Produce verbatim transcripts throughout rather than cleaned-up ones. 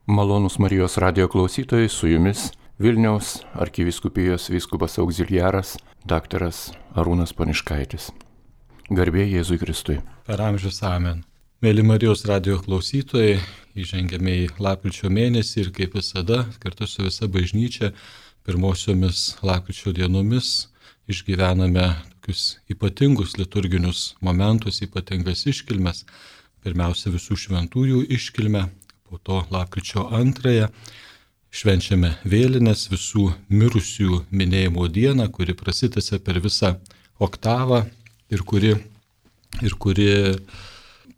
Malonūs Marijos radijo klausytojai, su jumis Vilniaus arkivyskupijos vyskupas auxiliaras daktaras Arūnas Poniškaitis. Garbė Jėzui Kristui. Per amžius amen. Mėly Marijos radijo klausytojai, įžengėme į lapkričio mėnesį ir kaip visada, kartu su visa bažnyčia, pirmosiomis lapkričio dienomis išgyvename tokius ypatingus liturginius momentus, ypatingas iškilmes. Pirmiausia, visų šventųjų iškilmę, po to lapkričio antrąją švenčiame vėlines, visų mirusių minėjimo dieną, kuri prasitęsia per visą oktavą ir kuri, ir kuri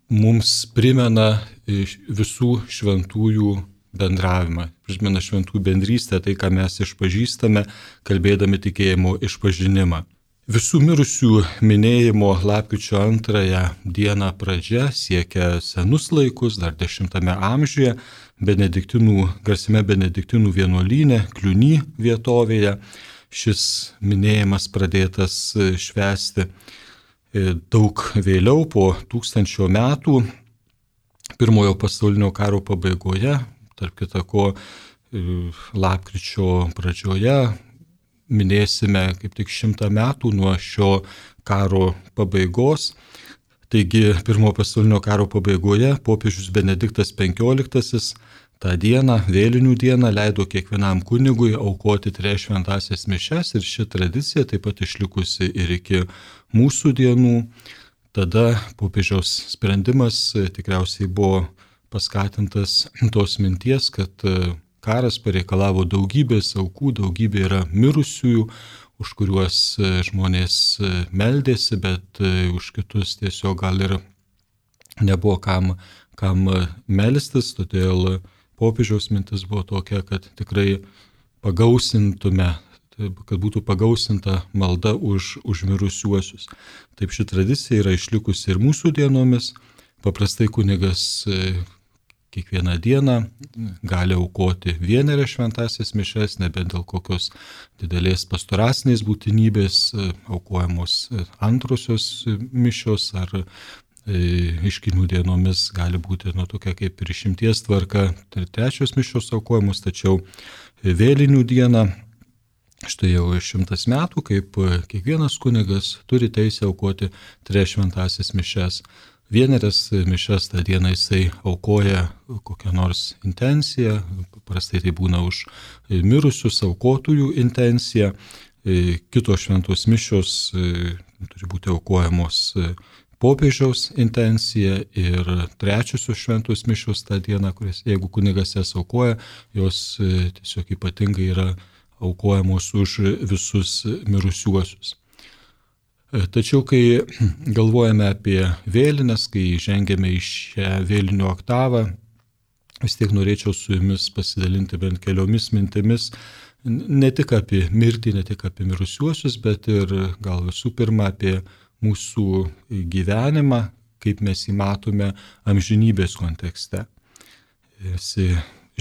mums primena visų šventųjų bendravimą, primena šventų bendrystę, tai ką mes išpažįstame, kalbėdami tikėjimo išpažinimą. Visų mirusių minėjimo lapkričio antrąją dieną pradžia siekia senus laikus, dar dešimtame amžiuje, benediktinų, garsime benediktinų vienuolyne, Kliuny vietovėje. Šis minėjimas pradėtas švęsti daug vėliau, po tūkstančio metų, pirmojo pasaulinio karo pabaigoje, tarp kita ko lapkričio pradžioje, minėsime kaip tik šimtą metų nuo šio karo pabaigos. Taigi, pirmojo pasaulinio karo pabaigoje popiežius Benediktas penkioliktasis tą dieną, vėlinių dieną, leido kiekvienam kunigui aukoti trejas šventąsias mišias ir ši tradicija taip pat išlikusi ir iki mūsų dienų. Tada popiežiaus sprendimas tikriausiai buvo paskatintas tos minties, kad karas pareikalavo daugybės aukų, daugybė yra mirusiųjų, už kuriuos žmonės meldėsi, bet už kitus tiesiog gal ir nebuvo kam, kam melstis, todėl popiežiaus mintis buvo tokia, kad tikrai pagausintume, kad būtų pagausinta malda už, už mirusiuosius. Taip ši tradicija yra išlikusi ir mūsų dienomis. Paprastai kunigas kiekvieną dieną gali aukoti vienerias šventąsias mišias, nebent dėl kokios didelės pastoracinės būtinybės, aukojamos antrosios mišios ar iškilmių dienomis gali būti nu, tokia kaip ir išimties tvarka, trečios mišios aukojamos, tačiau vėlinių dieną, štai jau šimtas metų, kaip kiekvienas kunigas turi teisę aukoti trejas šventąsias mišias. Vienerias mišias tą dieną jisai aukoja kokią nors intenciją, paprastai tai būna už mirusius aukotųjų intenciją, kitos šventos mišios turi būti aukojamos popiežiaus intencija ir trečiosios šventos mišios tą dieną, kuris, jeigu kunigas jas aukoja, jos tiesiog ypatingai yra aukojamos už visus mirusiuosius. Tačiau, kai galvojame apie vėlines, kai žengėme į šią vėlinių oktavą, vis tiek norėčiau su jumis pasidalinti bent keliomis mintimis, ne tik apie mirtį, ne tik apie mirusiuosius, bet ir gal visų pirma apie mūsų gyvenimą, kaip mes jį matome amžinybės kontekste. Visi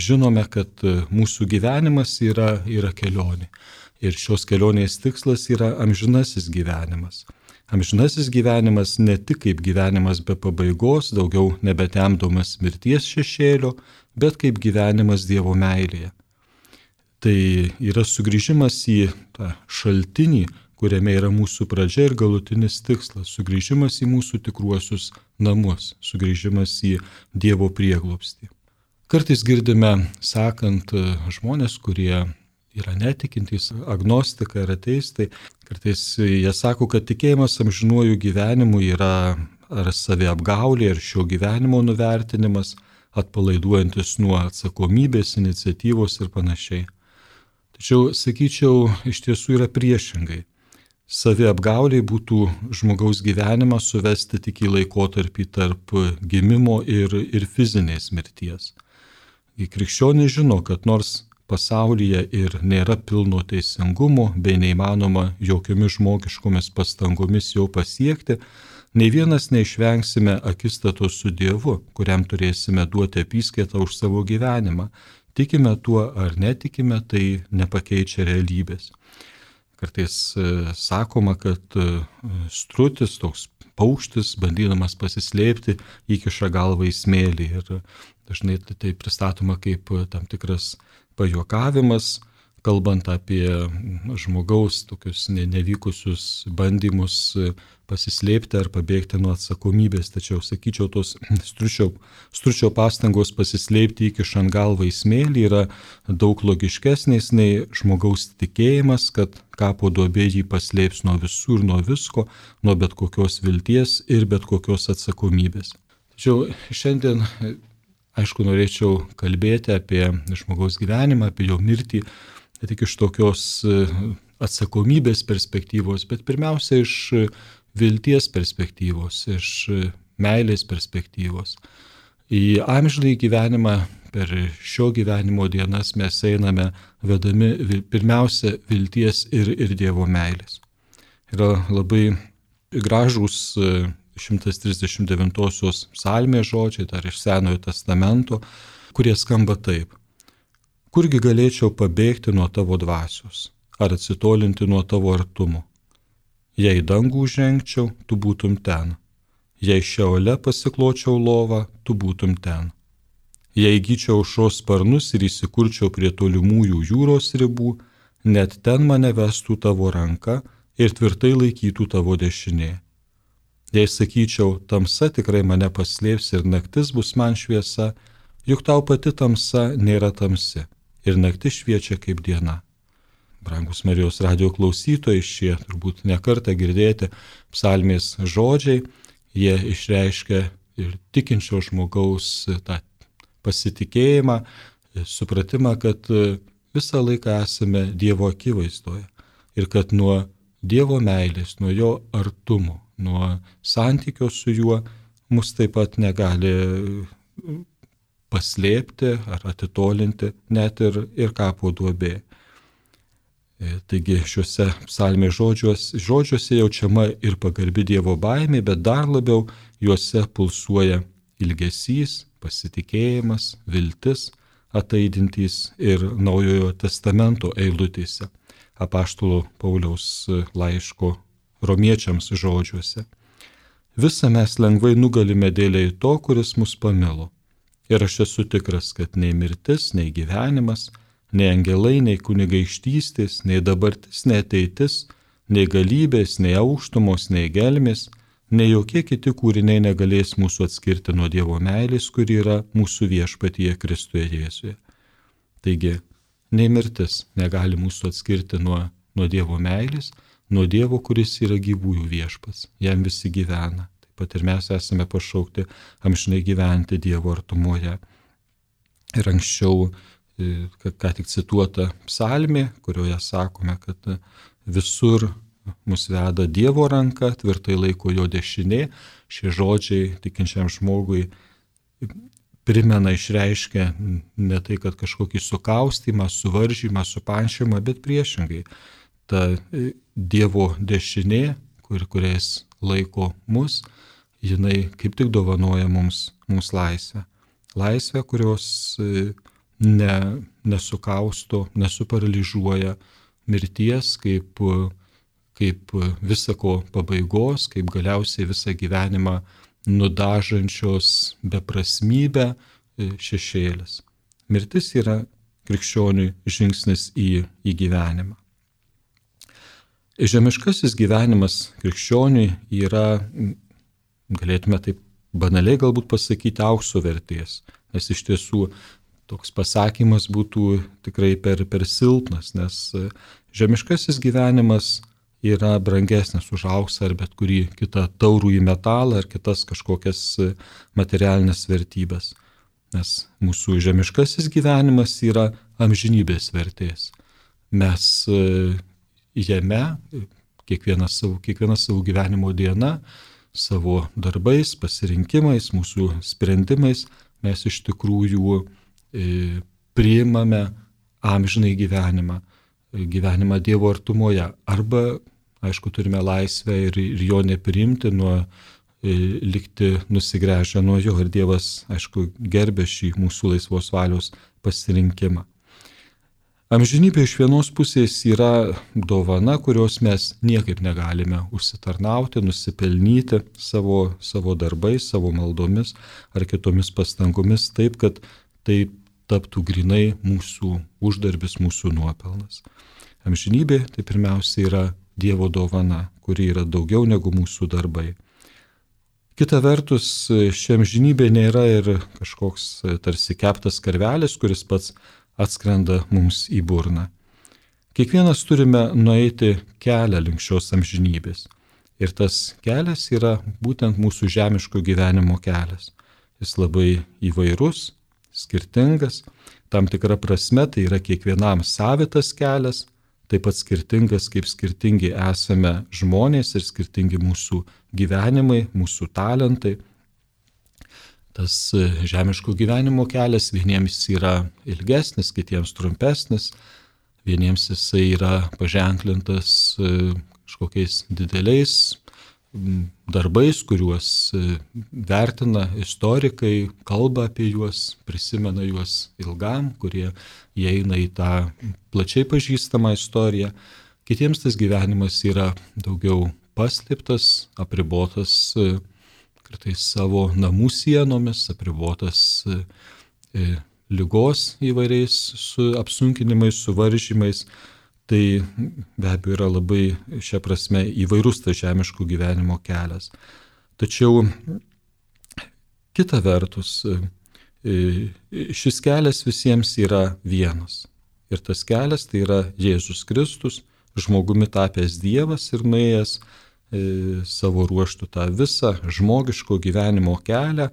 žinome, kad mūsų gyvenimas yra, yra kelionė. Ir šios kelionės tikslas yra amžinasis gyvenimas. Amžinasis gyvenimas ne tik kaip gyvenimas be pabaigos, daugiau nebetemdomas mirties šešėlio, bet kaip gyvenimas Dievo meilėje. Tai yra sugrįžimas į tą šaltinį, kuriame yra mūsų pradžia ir galutinis tikslas, sugrįžimas į mūsų tikruosius namus, sugrįžimas į Dievo prieglobstį. Kartais girdime sakant žmonės, kurie yra netikintys, agnostikai ar ateistai. Kartais jie sako, kad tikėjimas amžinuoju gyvenimu yra ar saviapgaulė, ar šio gyvenimo nuvertinimas, atpalaiduojantis nuo atsakomybės, iniciatyvos ir panašiai. Tačiau, sakyčiau, iš tiesų yra priešingai. Saviapgauliai būtų žmogaus gyvenimą suvesti tik į laikotarpį tarp gimimo ir, ir fizinės mirties. Krikščionys žino, kad nors pasaulyje ir nėra pilno teisingumo bei neįmanoma jokiomis žmogiškomis pastangomis jo pasiekti, nei vienas neišvengsime akistatos su Dievu, kuriam turėsime duoti apyskaitą už savo gyvenimą. Tikime tuo ar netikime, tai nepakeičia realybės. Kartais sakoma, kad strutis, toks paukštis, bandydamas pasislėpti, įkiša galvą į smėlį. Ir dažnai tai pristatoma kaip tam tikras pajuokavimas, kalbant apie žmogaus tokius nevykusius bandymus pasislėpti ar pabėgti nuo atsakomybės. Tačiau, sakyčiau, tos stručio, stručio pastangos pasislėpti įkišant galvą į smėlį yra daug logiškesnės nei žmogaus tikėjimas, kad kapo duobė jį paslėps nuo visų ir nuo visko, nuo bet kokios vilties ir bet kokios atsakomybės. Tačiau šiandien, aišku, norėčiau kalbėti apie žmogaus gyvenimą, apie jo mirtį, ne tik iš tokios atsakomybės perspektyvos, bet pirmiausia iš vilties perspektyvos, iš meilės perspektyvos. Į amžinąjį gyvenimą per šio gyvenimo dienas mes einame vedami pirmiausia vilties ir, ir Dievo meilės. Yra labai gražūs šimtas trisdešimt devintosios psalmės žodžiai, dar iš Senojo testamento, kurie skamba taip. Kurgi galėčiau pabėgti nuo tavo dvasios, ar atsitolinti nuo tavo artumo? Jei dangų žengčiau, tu būtum ten. Jei šeole pasikločiau lovą, tu būtum ten. Jei įgyčiau aušros sparnus ir įsikurčiau prie tolimųjų jūros ribų, net ten mane vestų tavo ranka ir tvirtai laikytų tavo dešinė. Jei sakyčiau, tamsa tikrai mane paslėps ir naktis bus man šviesa, juk tau pati tamsa nėra tamsi. Ir naktis šviečia kaip diena. Brangus Marijos radijo klausytojai, šie turbūt nekartą girdėti psalmės žodžiai, jie išreiškia ir tikinčio žmogaus tą pasitikėjimą, supratimą, kad visą laiką esame Dievo akivaizdoje ir kad nuo Dievo meilės, nuo jo artumo, nuo santykio su juo mus taip pat negali paslėpti ar atitolinti net ir, ir kapo duobė. Taigi šiuose psalmės žodžiuose, žodžiuose jaučiama ir pagarbi Dievo baimė, bet dar labiau juose pulsuoja ilgesys, pasitikėjimas, viltis, ataidintys ir Naujojo testamento eilutėse, apaštalo Pauliaus laiško romiečiams žodžiuose. Visą mes lengvai nugalime dėlei to, kuris mus pamilo. Ir aš esu tikras, kad nei mirtis, nei gyvenimas, nei angelai, nei kunigaikštystės, nei dabartis, nei ateitis, nei galybės, nei aukštumos, nei gelmės, nei jokie kiti kūriniai negalės mūsų atskirti nuo Dievo meilės, kuri yra mūsų viešpatyje Kristuje Jėzuje. Taigi, nei mirtis negali mūsų atskirti nuo, nuo Dievo meilės, nuo Dievo, kuris yra gyvųjų viešpats, jam visi gyvena. Pat ir mes esame pašaukti amžinai gyventi Dievo artumoje. Ir anksčiau, ką tik cituota psalmė, kurioje sakome, kad visur mus veda Dievo ranka, tvirtai laiko jo dešinė. Šie žodžiai tikinčiam žmogui primena, išreiškia ne tai, kad kažkokį sukaustymą, suvaržymą, supančiamą, bet priešingai. Ta Dievo dešinė, kur, kuriais laiko mus, jinai kaip tik dovanoja mums, mums laisvę. Laisvę, kurios ne, nesukausto, nesuparalyžuoja mirties kaip, kaip visako pabaigos, kaip galiausiai visą gyvenimą nudažančios beprasmybę šešėlis. Mirtis yra krikščioniui žingsnis į, į gyvenimą. Žemiškasis gyvenimas krikščioniui yra, galėtume taip banaliai galbūt pasakyti, aukso vertės, nes iš tiesų toks pasakymas būtų tikrai per, per silpnas, nes žemiškasis gyvenimas yra brangesnis už auksą ar bet kurį kitą taurųjį metalą ar kitas kažkokias materialinės vertybės, nes mūsų žemiškasis gyvenimas yra amžinybės vertės. Mes jame kiekviena savo, kiekviena savo gyvenimo diena, savo darbais, pasirinkimais, mūsų sprendimais mes iš tikrųjų e, priimame amžinai gyvenimą, gyvenimą Dievo artumoje. Arba, aišku, turime laisvę ir, ir jo nepriimti, nuo, e, likti nusigręžę nuo jo. Ir Dievas, aišku, gerbė šį mūsų laisvos valios pasirinkimą. Amžinybė iš vienos pusės yra dovana, kurios mes niekaip negalime užsitarnauti, nusipelnyti savo, savo darbais, savo maldomis ar kitomis pastangomis, taip, kad tai taptų grinai mūsų uždarbis, mūsų nuopelnas. Amžinybė tai pirmiausia yra Dievo dovana, kuri yra daugiau negu mūsų darbai. Kita vertus, ši amžinybė nėra ir kažkoks tarsi keptas karvelis, kuris pats atskrenda mums į burną. Kiekvienas turime nueiti kelią link šios amžinybės. Ir tas kelias yra būtent mūsų žemiško gyvenimo kelias. Jis labai įvairus, skirtingas, tam tikra prasme tai yra kiekvienam savitas kelias, taip pat skirtingas, kaip skirtingi esame žmonės ir skirtingi mūsų gyvenimai, mūsų talentai. Tas žemiško gyvenimo kelias vieniems yra ilgesnis, kitiems trumpesnis, vieniems jisai yra paženklintas kažkokiais dideliais darbais, kuriuos vertina istorikai, kalba apie juos, prisimena juos ilgam, kurie įeina į tą plačiai pažįstamą istoriją. Kitiems tas gyvenimas yra daugiau paslėptas, apribotas kartais savo namų sienomis, apribotas e, ligos įvairiais su apsunkinimais, suvaržymais. Tai be abejo yra labai šia prasme įvairus tas žemiško gyvenimo kelias. Tačiau kita vertus, e, šis kelias visiems yra vienas. Ir tas kelias tai yra Jėzus Kristus, žmogumi tapęs Dievas ir nuėjęs savo ruoštų tą visą žmogiško gyvenimo kelią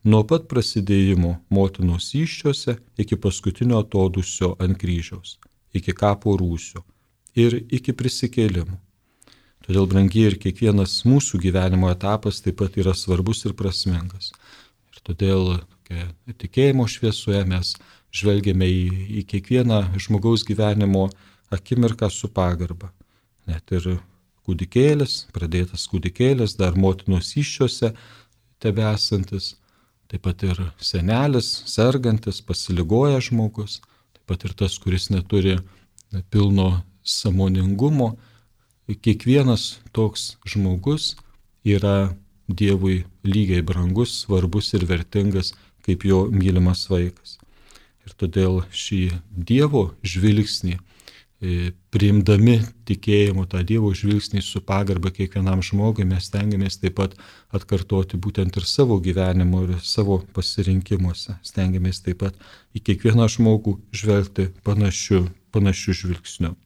nuo pat prasidėjimo motinos įsčiose iki paskutinio atodūsio ant kryžiaus, iki kapo rūsio ir iki prisikėlimų. Todėl, brangiai, ir kiekvienas mūsų gyvenimo etapas taip pat yra svarbus ir prasmingas. Ir todėl tikėjimo šviesoje mes žvelgiame į, į kiekvieną žmogaus gyvenimo akimirką su pagarba. Net ir kūdikėlis, pradėtas kūdikėlis, dar motinos įsčiose tebesantis, taip pat ir senelis, sergantis, pasiligoja žmogus, taip pat ir tas, kuris neturi pilno sąmoningumo. Kiekvienas toks žmogus yra Dievui lygiai brangus, svarbus ir vertingas kaip jo mylimas vaikas. Ir todėl šį Dievo žvilgsnį, priimdami tikėjimu tą Dievo žvilgsnį su pagarba kiekvienam žmogui, mes stengiamės taip pat atkartoti būtent ir savo gyvenimo ir savo pasirinkimuose. Stengiamės taip pat į kiekvieną žmogų žvelgti panašiu, panašiu žvilgsniu.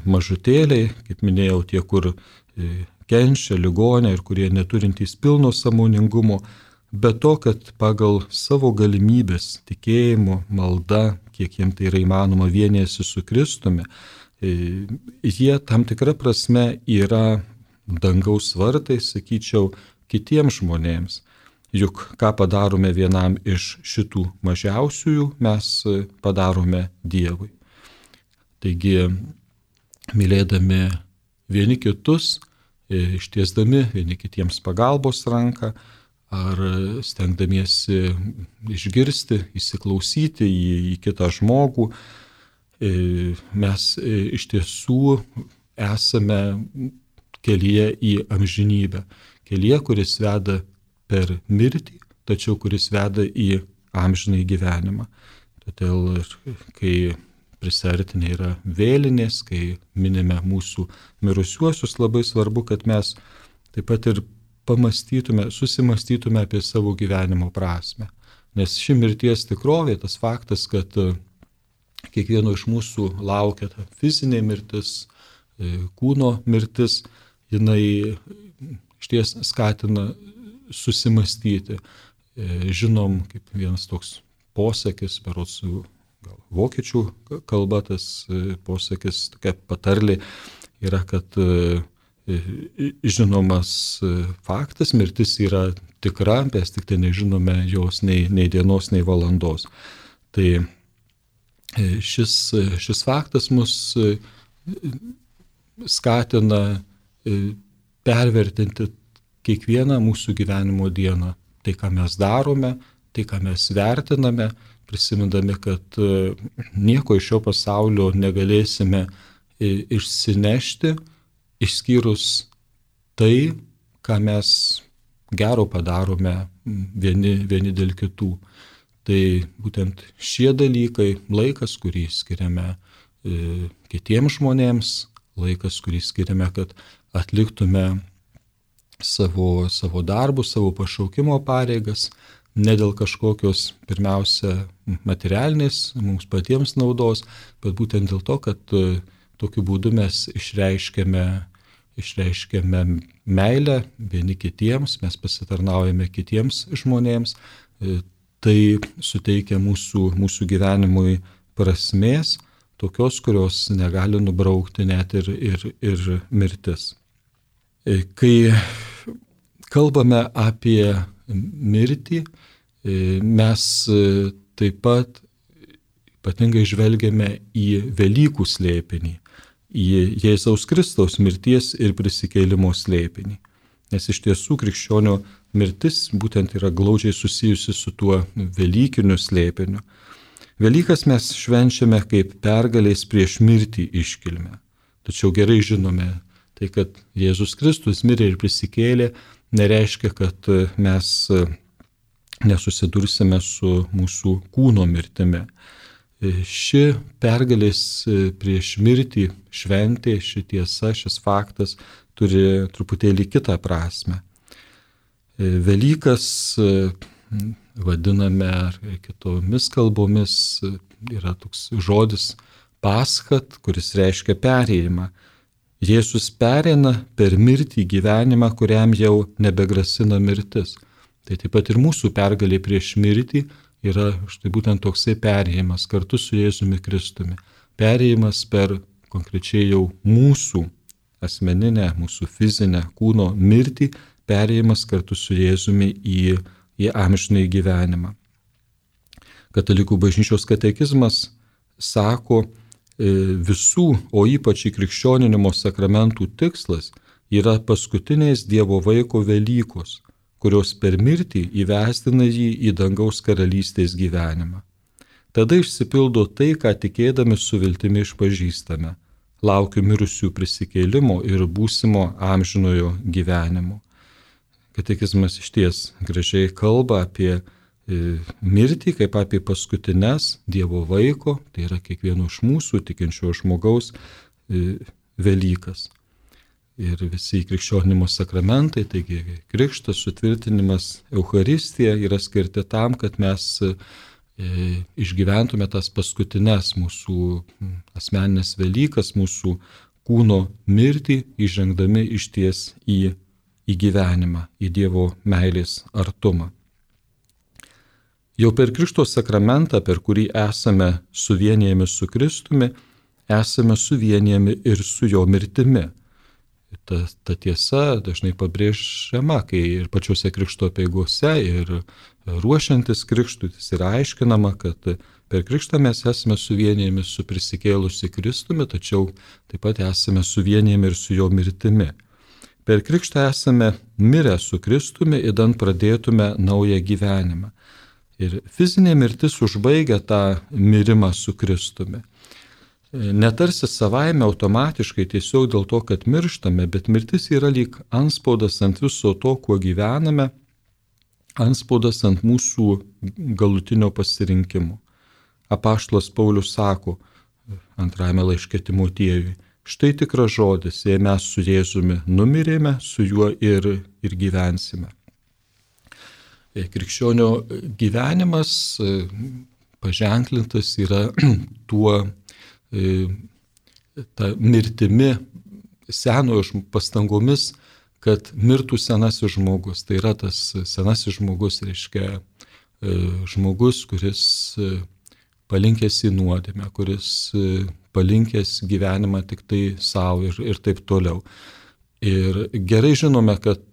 Mažutėliai, kaip minėjau, tie, kur kenčia, ligonė ir kurie neturintys pilno sąmoningumo, bet to, kad pagal savo galimybės, tikėjimo, malda, kiek jiems tai yra įmanoma, vienijasi su Kristumi, jie tam tikra prasme yra dangaus vartai, sakyčiau, kitiems žmonėms. Juk ką padarome vienam iš šitų mažiausiųjų, mes padarome Dievui. Taigi, mylėdami vieni kitus, ištiesdami vieni kitiems pagalbos ranką, ar stengdamiesi išgirsti, įsiklausyti į, į kitą žmogų, mes iš tiesų esame kelyje į amžinybę. Kelyje, kuris veda per mirtį, tačiau kuris veda į amžinąjį gyvenimą. Todėl, kai prisertinė yra vėlinės, kai minime mūsų mirusiuosius, labai svarbu, kad mes taip pat ir pamastytume, susimastytume apie savo gyvenimo prasme. Nes ši mirties tikrovė, tas faktas, kad kiekvieno iš mūsų laukia ta fizinė mirtis, kūno mirtis, jinai išties skatina susimastyti. Žinom, kaip vienas toks posakis, berods gal vokiečių kalba, tas posakis, tokia patarlė yra, kad žinomas faktas, mirtis yra tikra, mes tik tai nežinome jos nei, nei dienos, nei valandos. Tai šis, šis faktas mus skatina pervertinti kiekvieną mūsų gyvenimo dieną. Tai, ką mes darome, tai, ką mes vertiname, prisimindami, kad nieko iš šio pasaulio negalėsime išsinešti, išskyrus tai, ką mes gero padarome vieni, vieni dėl kitų. Tai būtent šie dalykai, laikas, kurį skiriame e, kitiems žmonėms, laikas, kurį skiriame, kad atliktume savo, savo darbus, savo pašaukimo pareigas, ne dėl kažkokios pirmiausia materialinės mums patiems naudos, bet būtent dėl to, kad e, tokiu būdu mes išreiškiame, išreiškiame meilę vieni kitiems, mes pasitarnaujame kitiems žmonėms, e, tai suteikia mūsų, mūsų gyvenimui prasmės, tokios, kurios negali nubraukti net ir, ir, ir mirtis. Kai kalbame apie mirtį, mes taip pat ypatingai žvelgiame į Velykų slėpinį, į Jėzaus Kristaus mirties ir prisikėlimo slėpinį. Nes iš tiesų krikščionio mirtis būtent yra glaudžiai susijusi su tuo velykiniu slėpiniu. Velykas mes švenčiame kaip pergalės prieš mirtį iškilmę. Tačiau gerai žinome, tai kad Jėzus Kristus mirė ir prisikėlė, nereiškia, kad mes nesusidursime su mūsų kūno mirtimi. Ši pergalės prieš mirtį šventė, ši tiesa, šis faktas turi truputėlį kitą prasme. Velykas vadiname ar kitomis kalbomis, yra toks žodis paschat, kuris reiškia perėjimą. Jėzus pereina per mirtį gyvenimą, kuriam jau nebegrasina mirtis. Tai taip pat ir mūsų pergalė prieš mirtį yra štai būtent toksai perėjimas kartu su Jėzumi Kristumi. Perėjimas per konkrečiai jau mūsų asmeninę, mūsų fizinę kūno mirtį, perėjimas kartu su Jėzumi į, į amžinąjį gyvenimą. Katalikų bažnyčios katekizmas sako, visų, o ypač krikščioninimo sakramentų tikslas yra paskutinės Dievo vaiko Velykos, kurios per mirtį įvestina jį į dangaus karalystės gyvenimą. Tada išsipildo tai, ką tikėdami su viltimi išpažįstame. Laukiu mirusių prisikėlimo ir būsimo amžinojo gyvenimo. Katekizmas išties gražiai kalba apie mirtį kaip apie paskutines Dievo vaiko, tai yra kiekvieno iš mūsų tikinčio žmogaus Velykas. Ir visi krikščionimo sakramentai, taigi krikštas, sutvirtinimas, Eucharistija yra skirti tam, kad mes išgyventume tas paskutines mūsų asmeninės Velykas, mūsų kūno mirtį, įžengdami išties į, į gyvenimą, į Dievo meilės artumą. Jau per Krikšto sakramentą, per kurį esame suvienijami su Kristumi, esame suvienijami ir su jo mirtimi. Ta, ta tiesa dažnai pabrėžiama, kai ir pačiuose Krikšto apeigose, ir ruošiantis Krikštui, yra aiškinama, kad per Krikštą mes esame suvienijami su prisikėlusi Kristumi, tačiau taip pat esame suvienijami ir su jo mirtimi. Per Krikštą esame mirę su Kristumi, idant pradėtume naują gyvenimą. Ir fizinė mirtis užbaigia tą mirimą su Kristumi. Netarsi savaime automatiškai tiesiog dėl to, kad mirštame, bet mirtis yra lyg antspaudas ant viso to, kuo gyvename, antspaudas ant mūsų galutinio pasirinkimo. Apaštalas Paulius sako antrajame laiške Timotiejui, štai tikras žodis, jei mes su Jėzumi numirėme, su juo ir, ir gyvensime. Krikščionio gyvenimas paženklintas yra tuo ta mirtimi, senojo pastangomis, kad mirtų senasis žmogus. Tai yra tas senasis žmogus, reiškia žmogus, kuris palinkęs į nuodėmę, kuris palinkęs gyvenimą tik tai savo ir, ir taip toliau. Ir gerai žinome, kad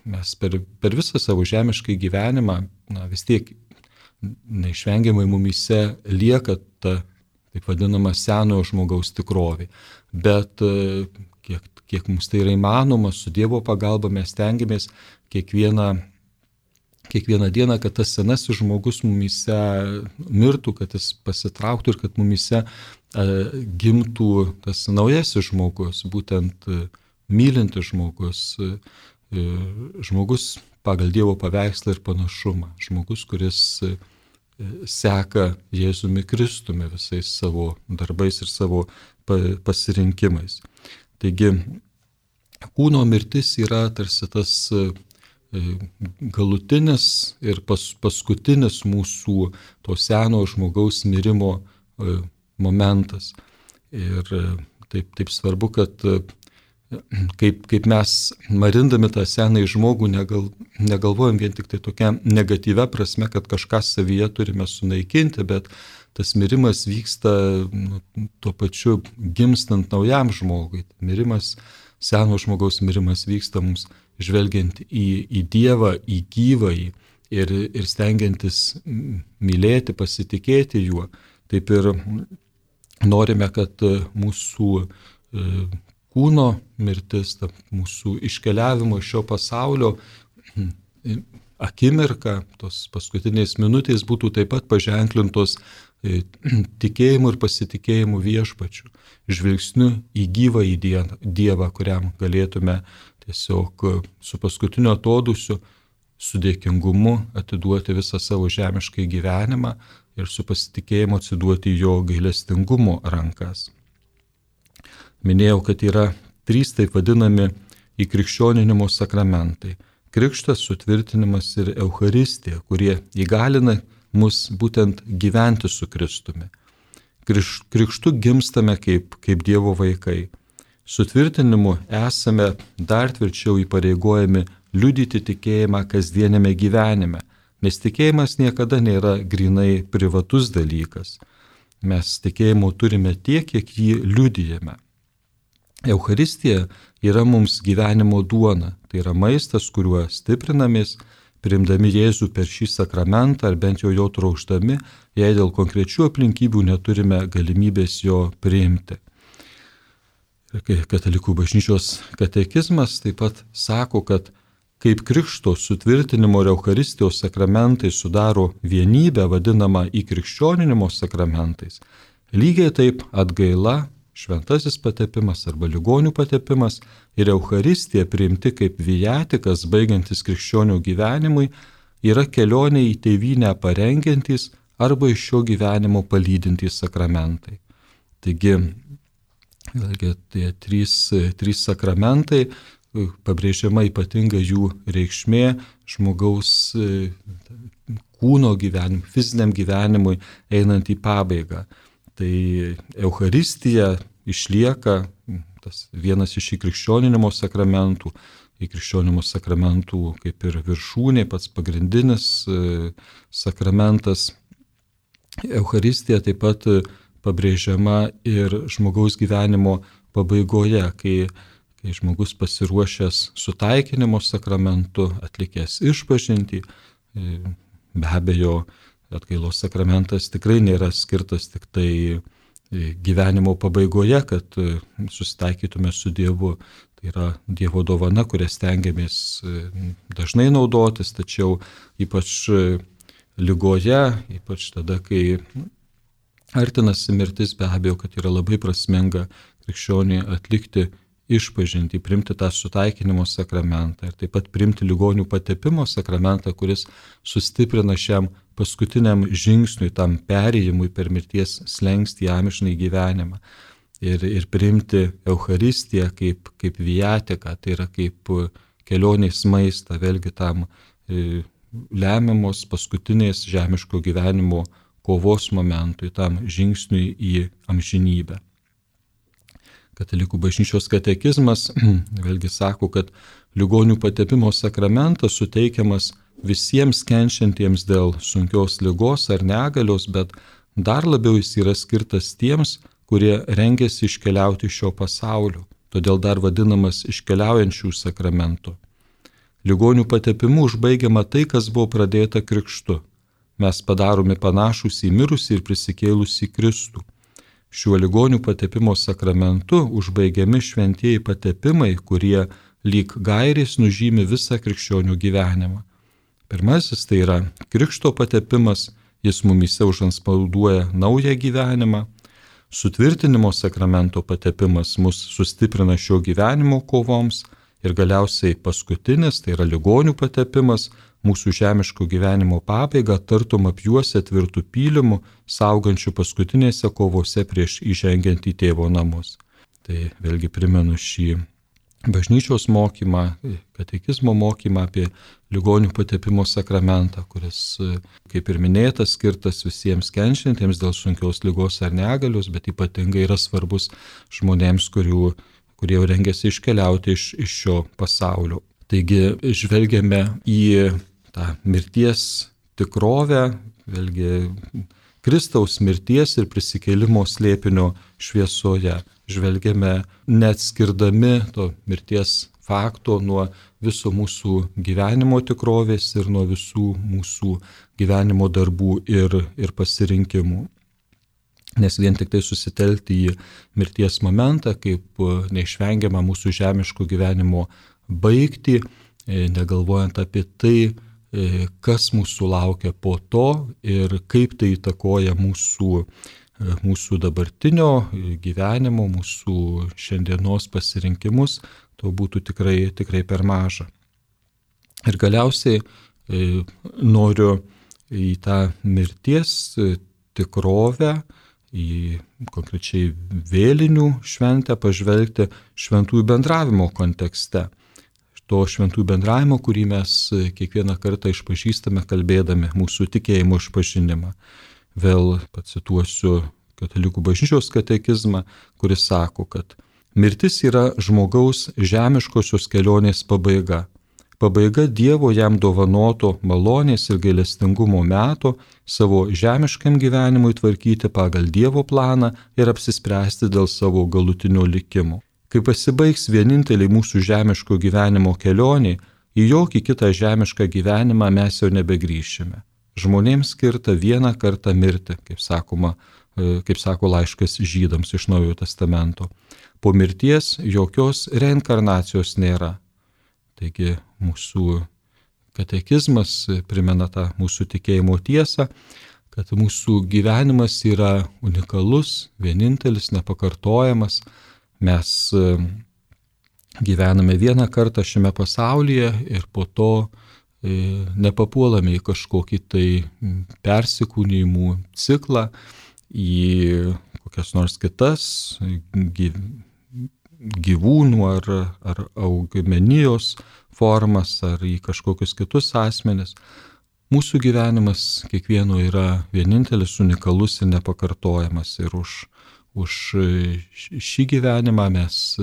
mes per, per visą savo žemišką gyvenimą, na, vis tiek neišvengiamai mumyse lieka ta, taip vadinama, senojo žmogaus tikrovė. Bet kiek, kiek mums tai yra įmanoma, su Dievo pagalba mes stengiamės kiekvieną, kiekvieną dieną, kad tas senasis žmogus mumyse mirtų, kad jis pasitrauktų ir kad mumyse gimtų tas naujasis žmogus, būtent mylintis žmogus, žmogus pagal Dievo paveikslą ir panašumą, žmogus, kuris seka Jėzumi Kristumi visais savo darbais ir savo pasirinkimais. Taigi, kūno mirtis yra tarsi tas galutinis ir pas, paskutinis mūsų to seno žmogaus mirimo momentas. Ir taip, taip svarbu, kad kaip, kaip mes marindami tą senąjį žmogų negal, negalvojam vien tik tai tokia negatyvia prasme, kad kažką savyje turime sunaikinti, bet tas mirimas vyksta nu, tuo pačiu gimstant naujam žmogui. Mirimas, seno žmogaus mirimas vyksta mums žvelgiant į, į Dievą, į gyvąjį ir, ir stengiantis mylėti, pasitikėti juo. Taip ir norime, kad mūsų kūno mirtis, ta mūsų iškeliavimo iš šio pasaulio akimirka, tos paskutinės minutės būtų taip pat paženklintos tikėjimu ir pasitikėjimu viešpačiu, žvilgsniu į gyvą į Dievą, kuriam galėtume tiesiog su paskutiniu atodūsiu, su dėkingumu atiduoti visą savo žemiškai gyvenimą ir su pasitikėjimu atsiduoti jo gailestingumo rankas. Minėjau, kad yra trys taip vadinami įkrikščioninimo sakramentai – krikštas, sutvirtinimas ir Eucharistija, kurie įgalina mus būtent gyventi su Kristumi. Kriš, krikštu gimstame kaip, kaip Dievo vaikai. Sutvirtinimu esame dar tvirčiau įpareigojami liudyti tikėjimą kasdienėme gyvenime, nes tikėjimas niekada nėra grinai privatus dalykas. Mes tikėjimo turime tiek, kiek jį liudijame. Eucharistija yra mums gyvenimo duona, tai yra maistas, kuriuo stiprinamės, priimdami Jėzų per šį sakramentą ar bent jau jo trokšdami, jei dėl konkrečių aplinkybių neturime galimybės jo priimti. Katalikų bažnyčios katekizmas taip pat sako, kad kaip krikšto, sutvirtinimo ir Eucharistijos sakramentai sudaro vienybę vadinamą įkrikščioninimo sakramentais, lygiai taip atgaila, šventasis patepimas arba ligonių patepimas ir Eucharistija priimti kaip viatikas baigiantis krikščionių gyvenimui yra kelionė į tėvynę parengiantys arba iš šio gyvenimo palydintys sakramentai. Taigi, vėlgi, tie trys, trys sakramentai, pabrėžiama ypatinga jų reikšmė žmogaus kūno gyvenimui, fiziniam gyvenimui einant į pabaigą. Tai Eucharistija išlieka tas vienas iš įkrikščioninimo sakramentų, įkrikščioninimo sakramentų kaip ir viršūnė, pats pagrindinis sakramentas. Eucharistija taip pat pabrėžiama ir žmogaus gyvenimo pabaigoje, kai, kai žmogus pasiruošęs sutaikinimo sakramentu, atlikęs išpažintį, be abejo, atgailos sakramentas tikrai nėra skirtas tik tai gyvenimo pabaigoje, kad susitaikytume su Dievu. Tai yra Dievo dovana, kurią stengiamės dažnai naudotis, tačiau ypač ligoje, ypač tada, kai artinasi mirtis, be abejo, kad yra labai prasminga krikščionį atlikti išpažintį, priimti tą sutaikinimo sakramentą ir taip pat priimti ligonių patepimo sakramentą, kuris sustiprina šiam paskutiniam žingsniui, tam perėjimui per mirties slenkstį amžinąjį gyvenimą. Ir, ir priimti Eucharistiją kaip, kaip viatiką, tai yra kaip kelionės maistą, vėlgi tam e, lemiamos paskutinės žemiško gyvenimo kovos momentui, tam žingsniui į amžinybę. Katalikų bažnyčios katekizmas vėlgi sako, kad ligonių patepimo sakramentas suteikiamas visiems kenčiantiems dėl sunkios ligos ar negalios, bet dar labiau jis yra skirtas tiems, kurie rengiasi iškeliauti iš šio pasaulio, todėl dar vadinamas iškeliaujančių sakramentų. Ligonių patepimu užbaigiama tai, kas buvo pradėta krikštu. Mes padaromi panašus į mirusį ir prisikėlusį Kristų. Šiuo ligonių patepimo sakramentu užbaigiami šventieji patepimai, kurie lyg gairės nužymi visą krikščionių gyvenimą. Pirmasis tai yra krikšto patepimas, jis mumyse užanspauduoja naują gyvenimą. Sutvirtinimo sakramento patepimas mus sustiprina šio gyvenimo kovoms. Ir galiausiai paskutinis, tai yra ligonių patepimas, mūsų žemiško gyvenimo pabaigą tartum apjuosia tvirtų pylimų, saugančių paskutinėse kovose prieš įžengiant į tėvo namus. Tai vėlgi primenu šį bažnyčios mokymą, katekizmo mokymą apie ligonių patepimo sakramentą, kuris, kaip ir minėtas, skirtas visiems kenčiantiems dėl sunkios ligos ar negalios, bet ypatingai yra svarbus žmonėms, kurių, kurie jau rengiasi iškeliauti iš, iš šio pasaulio. Taigi žvelgiame į tą mirties tikrovę, vėlgi Kristaus mirties ir prisikėlimo slėpinio šviesoje. Žvelgiame neatskirdami to mirties fakto nuo viso mūsų gyvenimo tikrovės ir nuo visų mūsų gyvenimo darbų ir, ir pasirinkimų. Nes vien tik tai susitelkti į mirties momentą, kaip neišvengiamą mūsų žemiško gyvenimo baigtį, negalvojant apie tai, kas mūsų laukia po to ir kaip tai įtakoja mūsų, mūsų dabartinio gyvenimo, mūsų šiandienos pasirinkimus, to būtų tikrai, tikrai per maža. Ir galiausiai noriu į tą mirties tikrovę, į konkrečiai vėlinių šventę pažvelgti šventųjų bendravimo kontekste. To šventųjų bendravimo, kurį mes kiekvieną kartą išpažįstame, kalbėdami mūsų tikėjimo išpažinimą. Vėl pacituosiu Katalikų bažnyčios katekizmą, kuris sako, kad mirtis yra žmogaus žemiškosios kelionės pabaiga. Pabaiga Dievo jam dovanoto malonės ir gailestingumo meto savo žemiškam gyvenimui tvarkyti pagal Dievo planą ir apsispręsti dėl savo galutinio likimo. Kai pasibaigs vieninteliai mūsų žemiško gyvenimo kelionė, į jokį kitą žemišką gyvenimą mes jau nebegrįšime. Žmonėms skirta vieną kartą mirti, kaip sakoma, kaip sako laiškas žydams iš Naujojo testamento. Po mirties jokios reinkarnacijos nėra. Taigi mūsų katekizmas primena tą mūsų tikėjimo tiesą, kad mūsų gyvenimas yra unikalus, vienintelis, nepakartojamas. Mes gyvename vieną kartą šiame pasaulyje ir po to nepapuolame į kažkokį tai persikūnijimų ciklą, į kokias nors kitas gyvūnų ar, ar augmenijos formas, ar į kažkokius kitus asmenis. Mūsų gyvenimas kiekvieno yra vienintelis, unikalus ir nepakartojamas. Ir už Už šį gyvenimą mes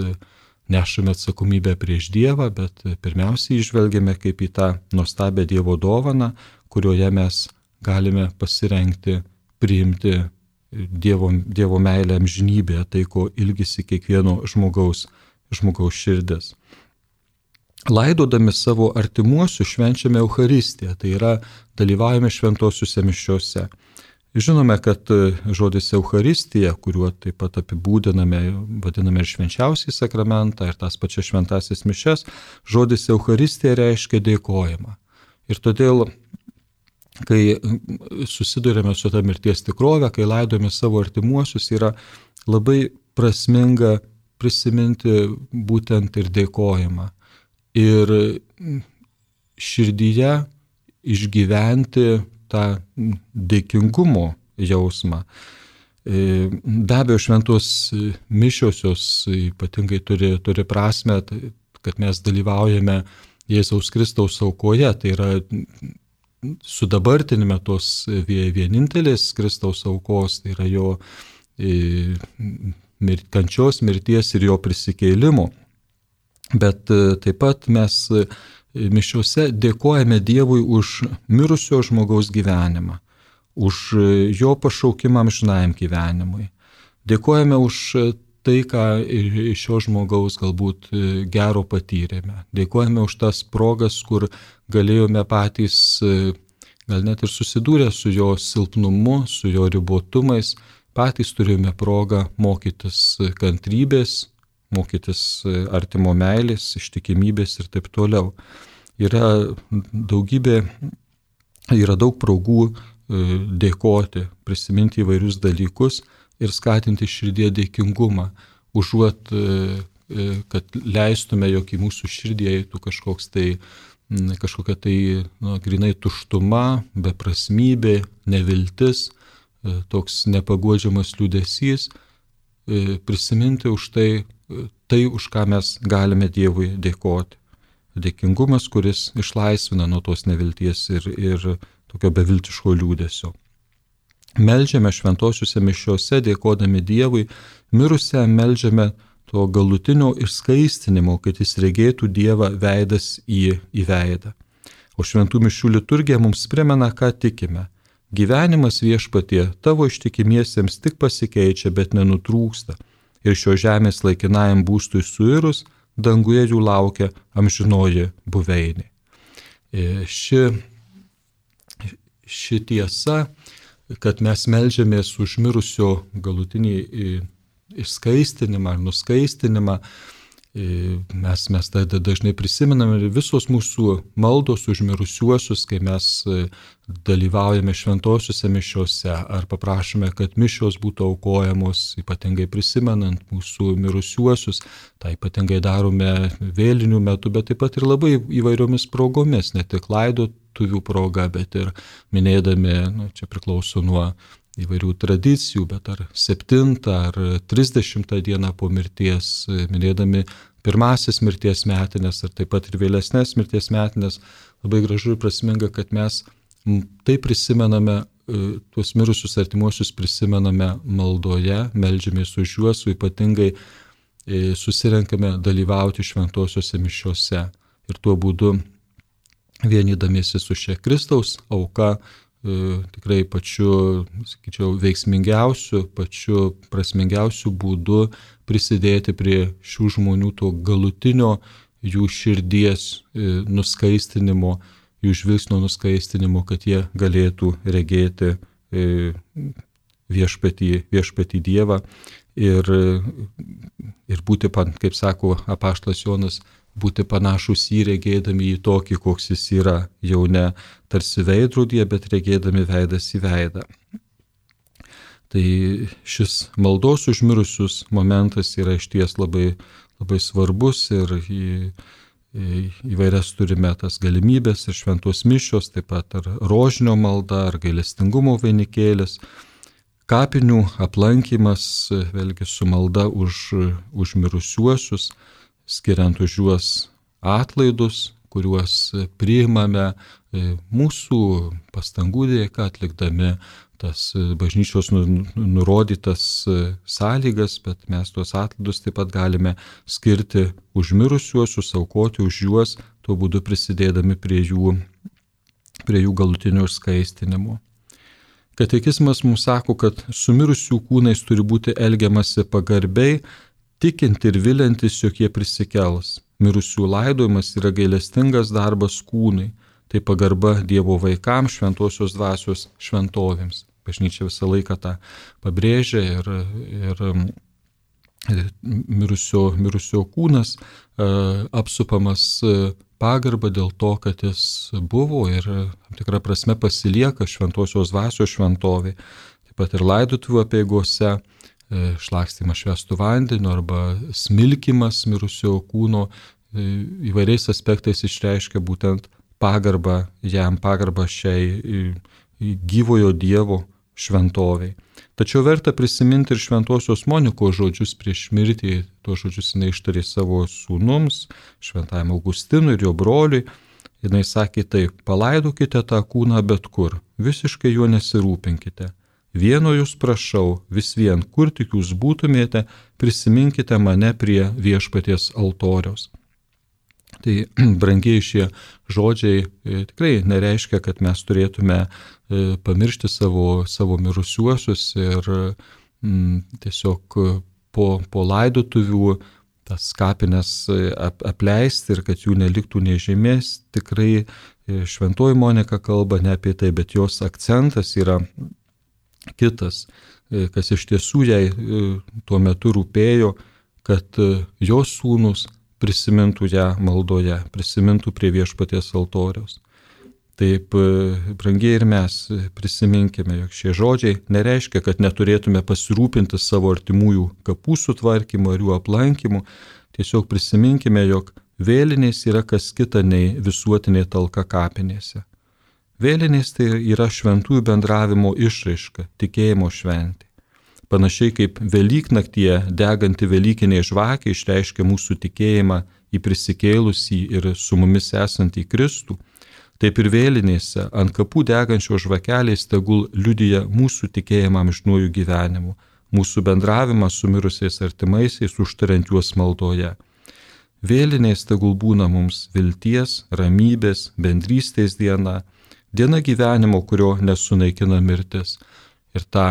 nešame atsakomybę prieš Dievą, bet pirmiausiai žvelgiame kaip į tą nuostabią Dievo dovaną, kurioje mes galime pasirengti, priimti Dievo, Dievo meilę amžinybėje, tai ko ilgisi kiekvieno žmogaus, žmogaus širdis. Laidodami savo artimuosius švenčiame Eucharistiją, tai yra dalyvaujame šventosiuose mišiuose. Žinome, kad žodis Eucharistija, kuriuo taip pat apibūdiname, vadiname ir švenčiausiai sakramentą, ir tas pačias šventasis mišias, žodis Eucharistija reiškia dėkojimą. Ir todėl, kai susidurėme su ta mirties tikrove, kai laidojame savo artimuosius, yra labai prasminga prisiminti būtent ir dėkojimą. Ir širdyje išgyventi tą dėkingumo jausmą. Be abejo, šventos mišiosios ypatingai turi, turi prasme, kad mes dalyvaujame Jėzaus Kristaus aukoje, tai yra sudabartinime tos vienintelės Kristaus aukos, tai yra jo kančios, mirties ir jo prisikėlimo. Bet taip pat mes mišiuose dėkojame Dievui už mirusio žmogaus gyvenimą, už jo pašaukimą amžinajam gyvenimui. Dėkojame už tai, ką iš šio žmogaus galbūt gero patyrėme. Dėkojame už tas progas, kur galėjome patys, gal net ir susidūrę su jo silpnumu, su jo ribotumais, patys turėjome progą mokytis kantrybės, mokytis artimo meilės, ištikimybės ir taip toliau. yra daugybė, yra daug progų dėkoti, prisiminti įvairius dalykus ir skatinti širdie dėkingumą, užuot, kad leistume, jog į mūsų širdį eitų kažkoks tai, kažkokia tai, na, grinai tuštuma, beprasmybė, neviltis, toks nepaguodžiamas liūdesys, prisiminti už tai, tai, už ką mes galime Dievui dėkoti. Dėkingumas, kuris išlaisvina nuo tos nevilties ir, ir tokio beviltiško liūdesio. Meldžiame šventosiuose mišiose, dėkodami Dievui, mirusiam meldžiame to galutinio išskaistinimo, kad jis regėtų Dievą veidas į, į veidą. O šventų mišių liturgija mums primena, ką tikime. Gyvenimas Viešpatie tavo ištikimiesiems tik pasikeičia, bet nenutrūksta. Ir šio žemės laikinajam būstui suirus, danguje jų laukia amžinoji buveinė. Ši, ši tiesa, kad mes meldžiamės už mirusio galutinį išskaistinimą ar nuskaistinimą, mes, mes tada dažnai prisimename ir visos mūsų maldos už mirusiuosius, kai mes dalyvaujame šventosiuose mišiuose ar paprašome, kad mišios būtų aukojamos, ypatingai prisimenant mūsų mirusiuosius, tai ypatingai darome vėlinių metu, bet taip pat ir labai įvairiomis progomis, ne tik laidotuvių proga, bet ir minėdami, nu, čia priklauso nuo įvairių tradicijų, bet ar septintą ar trisdešimtą dieną po mirties, minėdami pirmasis mirties metinės ir taip pat ir vėlesnės mirties metinės, labai gražu ir prasminga, kad mes tai prisimename, tuos mirusius artimuosius prisimename maldoje, meldžiamės už juos, o ypatingai susirenkame dalyvauti šventosiuose mišiuose. Ir tuo būdu vienydamiesi su šia Kristaus auka, tikrai pačiu, sakyčiau, veiksmingiausiu, pačiu prasmingiausiu būdu prisidėti prie šių žmonių to galutinio jų širdies nuskaistinimo, jų žvilgsnio nuskaistinimo, kad jie galėtų regėti viešpatį, viešpatį Dievą ir, ir būti, kaip sako apaštalas Jonas, būti panašus į regėdami į tokį, koks jis yra, jau ne tarsi veidrodyje, bet regėdami veidas į veidą. Tai šis maldos už mirusius momentas yra išties labai, labai svarbus ir į, į, įvairias turime tas galimybės ir šventos mišios, taip pat ar rožinio malda, ar gailestingumo vainikėlis, kapinių aplankymas, vėlgi su malda už, už mirusiuosius, skiriant už juos atlaidus, kuriuos priimame mūsų pastangų dėka, atlikdami tas bažnyčios nurodytas sąlygas, bet mes tuos atlaidus taip pat galime skirti už mirusiuosius, aukoti už juos, tuo būdu prisidėdami prie jų, prie jų galutinio išskaistinimo. Katekizmas mums sako, kad su mirusių kūnais turi būti elgiamasi pagarbiai, tikinti ir vilintis, jog jie prisikels. Mirusių laidojimas yra gailestingas darbas kūnai, tai pagarba Dievo vaikams, šventosios dvasios šventovėms. Bažnyčia visą laiką tą pabrėžia ir, ir, ir mirusio, mirusio kūnas uh, apsupamas pagarba dėl to, kad jis buvo ir tam tikrą prasme pasilieka šventosios dvasios šventovė. Taip pat ir laidotuvių apeigose šlakstymas švęstų vandeniu arba smilkimas mirusio kūno įvairiais aspektais išreiškia būtent pagarbą jam, pagarbą šiai gyvojo Dievo šventoviai. Tačiau verta prisiminti ir šventosios Monikos žodžius prieš mirtį, tuos žodžius jinai ištarė savo sūnums, šventajam Augustinui ir jo broliui. Jinai sakė taip: palaidokite tą kūną bet kur, visiškai juo nesirūpinkite. Vieno jūs prašau, vis vien, kur tik jūs būtumėte, prisiminkite mane prie viešpaties altoriaus. Tai brangiai šie žodžiai tikrai nereiškia, kad mes turėtume pamiršti savo, savo mirusiuosius ir m, tiesiog po, po laidotuvių tas kapines ap, apleisti ir kad jų neliktų nei žemės. Tikrai šventoji Monika kalba ne apie tai, bet jos akcentas yra kitas, kas iš tiesų jai tuo metu rūpėjo, kad jos sūnus prisimintų ją maldoje, prisimintų prie viešpaties altoriaus. Taip, brangiai ir mes prisiminkime, jog šie žodžiai nereiškia, kad neturėtume pasirūpinti savo artimųjų kapų sutvarkymu ar jų aplankymu. Tiesiog prisiminkime, jog vėlinės yra kas kita nei visuotinė talka kapinėse. Vėlinės tai yra šventųjų bendravimo išraiška, tikėjimo šventė. Panašiai kaip Velyknaktyje deganti velykinė žvakė išreiškia mūsų tikėjimą į prisikėlusį ir su mumis esantį Kristų, taip ir vėlinėse ant kapų degančios žvakelės tegul liudija mūsų tikėjimą amžinuoju gyvenimu, mūsų bendravimą su mirusiais artimaisiais, užtariant juos maldoje. Vėlinės tegul būna mums vilties, ramybės, bendrystės diena, diena gyvenimo, kurio nesunaikina mirtis. Ir tą,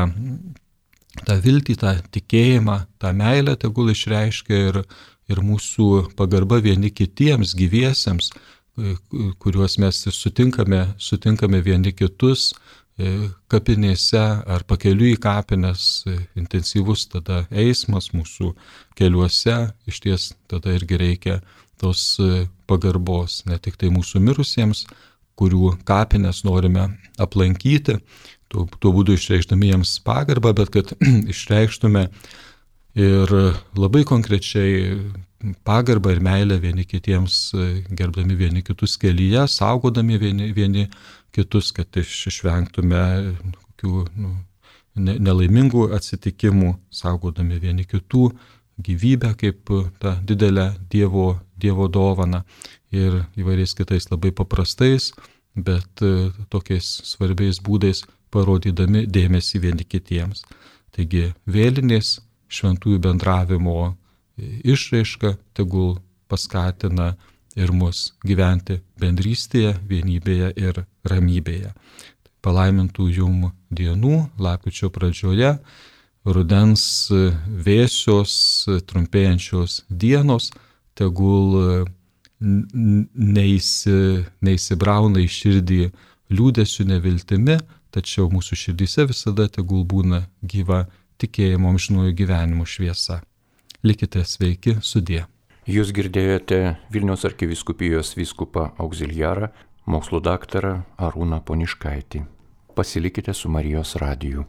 tą viltį, tą tikėjimą, tą meilę tegul išreiškia ir, ir mūsų pagarba vieni kitiems gyviesiems, kuriuos mes sutinkame, sutinkame vieni kitus kapinėse ar pakeliui į kapines, intensyvus tada eismas mūsų keliuose, iš ties tada irgi reikia tos pagarbos, ne tik tai mūsų mirusiems, kurių kapines norime aplankyti, tuo, tuo būdu išreikšdami jiems pagarbą, bet kad išreikštume ir labai konkrečiai pagarbą ir meilę vieni kitiems, gerbdami vieni kitus kelyje, saugodami vieni, vieni kitus, kad išvengtume kokių nu, nelaimingų atsitikimų, saugodami vieni kitų gyvybę kaip tą didelę Dievo, Dievo dovaną ir įvairiais kitais labai paprastais, bet tokiais svarbiais būdais parodydami dėmesį vieni kitiems. Taigi vėlinės šventųjų bendravimo išraiška tegul paskatina ir mus gyventi bendrystėje, vienybėje ir ramybėje. Palaimintų jum dienų, lapkričio pradžioje, rudens vėsios, trumpėjančios dienos, tegul neįsi, neįsibrauna į širdį liūdesiu, neviltimi, tačiau mūsų širdyse visada tegul būna gyva tikėjimo amžinuoju gyvenimu šviesa. Likite sveiki, sudie. Jūs girdėjote Vilniaus arkivyskupijos vyskupą auxiliarą, mokslo daktarą Arūną Poniškaitį. Pasilikite su Marijos radiju.